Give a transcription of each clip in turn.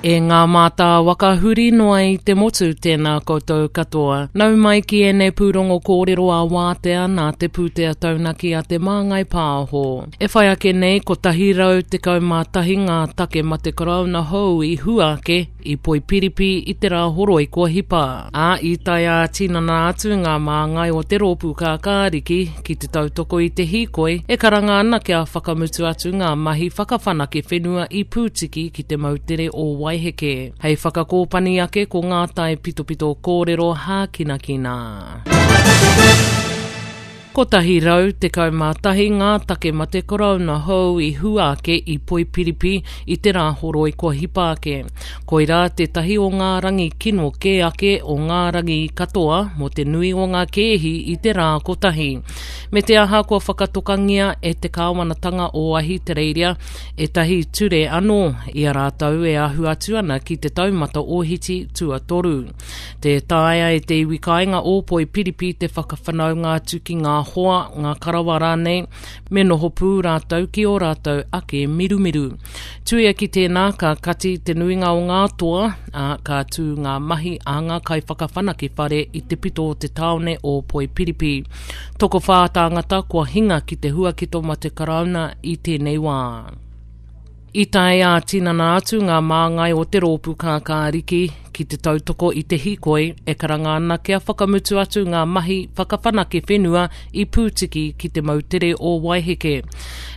E ngā mātā waka huri noa i te motu, tēnā koutou katoa. Nau mai ki ēnei pūrongo kōrero ā wātea nā te pūtea taunaki a Te Māngai Pāho. E whai ake nei, 111 ngā take mate karauna hou i hua ake i Poipiripi i te Rāhoroi kua hipa, ā, i tae ā-tinana atu ngā māngai o te Rōpū Kākāriki ki te tautoko i te hīkoi e karanga ana kia whakamutu atu ngā mahi whakawhanake whenua i Pūtiki ki te moutere o Waiheke. Hei whakakōpani ake ko ngā tae pitopito kōrero hākinakina. 111 ngā take mate korouna hou i hua ake i Poipiripi i te Rāhoroi kua hipa ake. Koirā tētahi o ngā rangi kino kē ake o ngā rangi katoa mō te nui o ngā kēhi i te rā kotahi. Me te aha kua whakatokangia e te kāwanatanga o Ahitereiria ētahi ture anō i a rātou e ahu atu ana ki te taumata ōhiti tuatoru. Tē taea e te iwi kāinga o Poipiripi te whakawhanaunga atu ki ngā hoa, ngā karawa rānei, me noho pū rātou ki ō rātou ake mirumiru. Tuia ki tēnā, ka kati te nuinga o ngā toa, ā, ka tū ngā mahi a ngā kaiwhakawhanake whare i te pito o te tāone o Poipiripi. Tokowhā tāngata kua hinga ki te huaketo mate karauna i tēnei wā. I tae ā-tinana atu ngā māngai o te Rōpū Kākāriki ki te tautoko i te hīkoi e karanga ana kia whakamutu atu ngā mahi whakawhanake whenua i Pūtiki ki te moutere o Waiheke.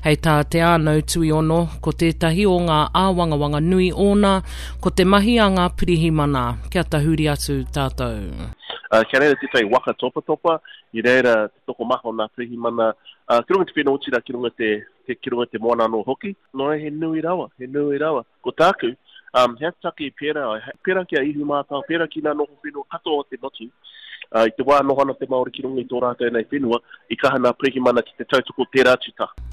Hei tā Te Ānau Tuiono, ko tētahi o ngā āwangawanga nui ōna, ko te mahi a ngā pirihimana, kia tahuri atu tātou. Kia reira tētahi waka topatopa, i reira te tokomaha o ngā pirihimana, ki runga i te whenua, otirā ki runga i te te, ki runga i te moana anō hoki. Nō reira, he nui rawa, he nui rawa. Ko tāku, um, he take pērā, pērā ki a Ihumātao, pērā ki ngā noho whenua katoa o te motu, uh, i te wā noho ana te Māori ki runga i tō rātou nei whenua, i kaha nā pirihimana ki te tautoko tērā atu taha.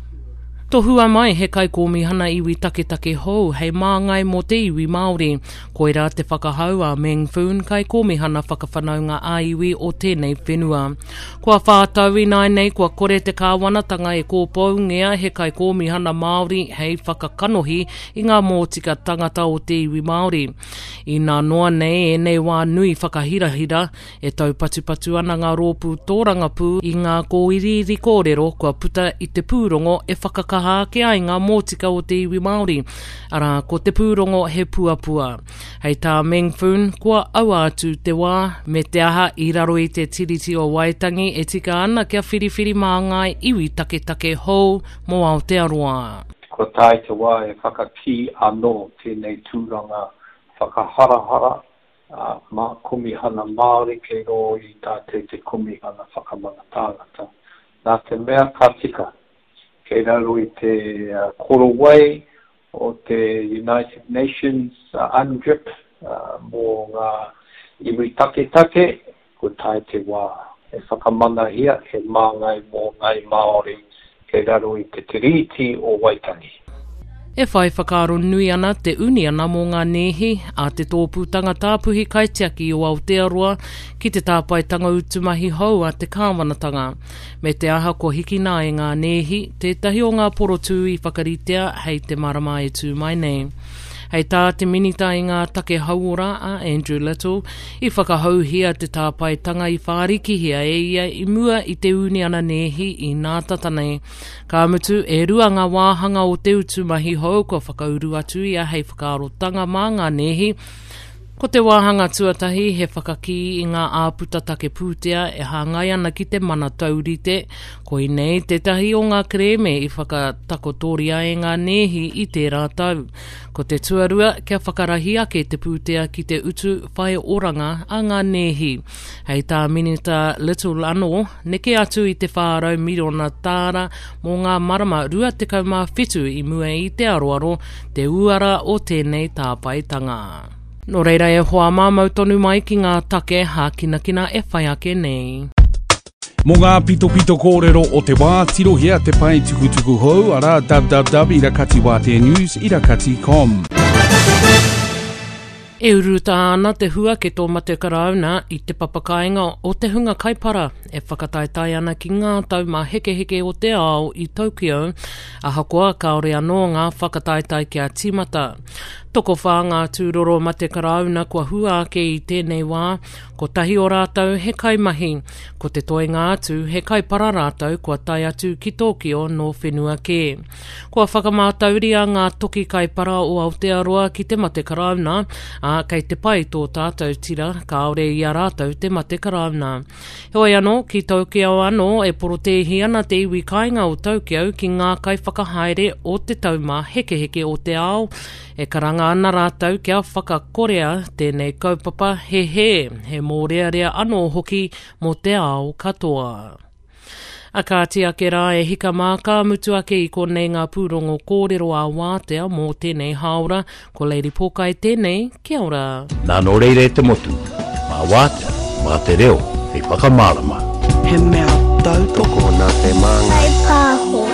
Tohua mai he kaikōmihana iwi taketake hou hei māngai mō te iwi Māori. Koirā te whakahau a Meng Foon, Kaikōmihana Whakawhanaunga ā-Iwi o tēnei whenua. Kua whā tau ināianei kua kore te kāwanatanga e kōpoungia he kaikōmihana Māori hei whakakanohi i ngā mōtika tangata o te iwi Māori. Inā noa nei ēnei wā nui whakahirahira, e taupatupatu ana ngā rōpū tōrangapū i ngā kōiriiri kōrero kua puta i te pūrongo e whakakaha ake ai ngā mōtika o te iwi Māori, arā, ko te pūrongo He Puapua. Hei tā Meng Foon, kua aua atu te wā, me te aha i raro i te Tiriti o Waitangi e tika ana kia whiriwhiri māngai iwi taketake hou mō Aotearoa. Kua tae te wā e whakakī anō tēnei tūranga whakaharahara mā Komihana Māori kei rō i tātou te Komihana Whakamana Tāngata. Nā te mea ka tika, kei raro i te korowai o te United Nations UNDRIP mō ngā iwi taketake, kua tae te wā e whakamanahia he māngai mō Ngāi Māori kei raro i te Tiriti o Waitangi. E whai whakaaro nui ana te uniana mō ngā nēhi a te Tōpūtanga Tāpuhi Kaitiaki o Aotearoa ki te tāpaetanga utu mahi hou a te kāwanatanga. Me te aha kua hikina e ngā nēhi tētahi o ngā porotū i whakaritea hei te marama e tū mai nei. Hei tā te Minita i ngā Take Hauora a Andrew Little, i whakahouhia te tāpaetanga i whārikihia e ia i mua i te uniana nēhi i nātata nei. Ka mutu, e rua ngā wāhanga o te utu mahi hou kua whakauru atu ia hei whakaarotanga mā ngā nēhi, Ko te wāhanga tuatahi he whakakī i ngā āputa take pūtea e hāngai ana ki te mana taurite, koinei tētahi o ngā kerēme i whakatakotoria e ngā nēhi i tērā tau. Ko te tuarua, kia whakarahi ake te pūtea ki te utu whai oranga a ngā nēhi. Hei tā Minita Little anō, neke atu i te 400 miriona tāra mō ngā marama 27 i mua i te aroaro te uara o tēnei tāpaetanga. Nō reira e hoa mā mau tonu mai ki ngā take hākinakina e whai ake nei. Mō ngā pitopito kōrero o te wā, tirohia te pae tukutuku hou, arā www.irakatiwāteanews irakati.com. E urutā ana te huaketo mate karauna i te papakāinga o te hunga kaipara e whakataetae ana ki ngā taumāhekeheke o te ao i Tokyo, ahakoa kāore anō ngā whakataetae kia tīmata. Tokowhā ngā tūroro mate karauna kua hua ake i tēnei wā, kotahi o rātou he kaimahi, ko te toenga atu he kaipara rātou kua tae atu ki Tōkio nō whenua kē. Kua whakamātauria ngā toki kaipara o Aotearoa ki te mate karauna, ā, kei te pai tō tātou tira kāore i a rātou te mate karauna. Heoi anō, ki Tokyo anō e porotēhi ana te iwi kāinga o Tokyo ki ngā kaiwhakahaere o te taumāhekeheke o te ao, e karanga ana rātou kia whakakorea tēnei kaupapa he hē, he mōrearea anō hoki mō te ao katoa. A kāti ake rā e hika mā, ka mutu ake i konei ngā pūrongo kōrero ā-wātea mō tēnei hāora. Ko Lady Pōkai tēnei, kia ora. Nā nō reira e te motu, mā Wātea, mā te reo hei whakamārama. He mea tautoko nā te Māngai. Pāho.